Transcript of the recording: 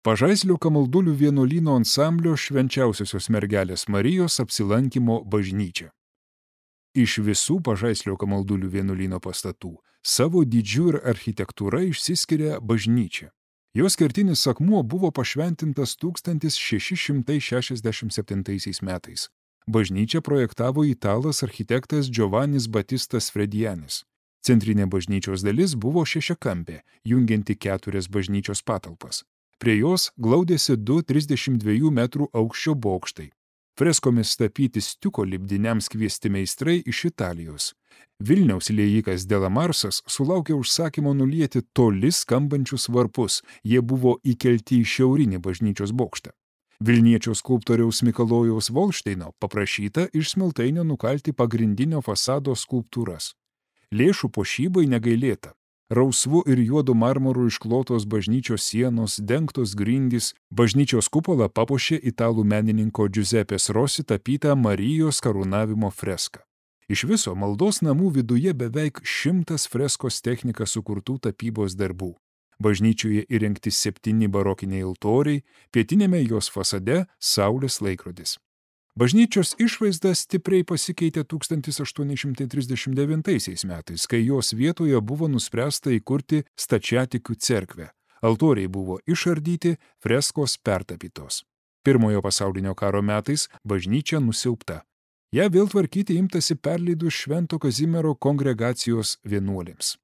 Pažaislio Kamaldulių vienuolyno ansamblio Švenčiausiosios mergelės Marijos apsilankymo bažnyčia. Iš visų Pažaislio Kamaldulių vienuolyno pastatų savo dydžiu ir architektūra išsiskiria bažnyčia. Jos kertinis akmuo buvo pašventintas 1667 metais. Bažnyčią projektavo italas architektas Giovannis Batistas Fredianis. Centrinė bažnyčios dalis buvo šešiakampė, jungianti 4 bažnyčios patalpas. Prie jos glaudėsi 2 32 metrų aukščio bokštai. Freskomis tapyti stiuko lipdiniams kviesti meistrai iš Italijos. Vilniaus liejikas Delamarsas sulaukė užsakymo nulieti toli skambančius varpus, jie buvo įkelti į šiaurinį bažnyčios bokštą. Vilniečio skulptoriaus Mikalojaus Volšteino paprašyta iš smiltainio nukalti pagrindinio fasado skulptūras. Lėšų puošybai negailėta. Rausvu ir juodu marmoru išklotos bažnyčios sienos, dengtos grindys, bažnyčios kupolą papuošė italų menininko Giuseppės Rossi tapytą Marijos karūnavimo freską. Iš viso maldos namų viduje beveik 100 freskos technika sukurtų tapybos darbų. Bažnyčioje įrengti 7 barokiniai altoriai, pietinėme jos fasade saulės laikrodis. Bažnyčios išvaizda stipriai pasikeitė 1839 metais, kai jos vietoje buvo nuspręsta įkurti stačiatikių cerkvę. Altoriai buvo išardyti, freskos pertapytos. Pirmojo pasaulinio karo metais bažnyčia nusiaubta. Ja vėl tvarkyti imtasi perleidus Švento Kazimiero kongregacijos vienuolėms.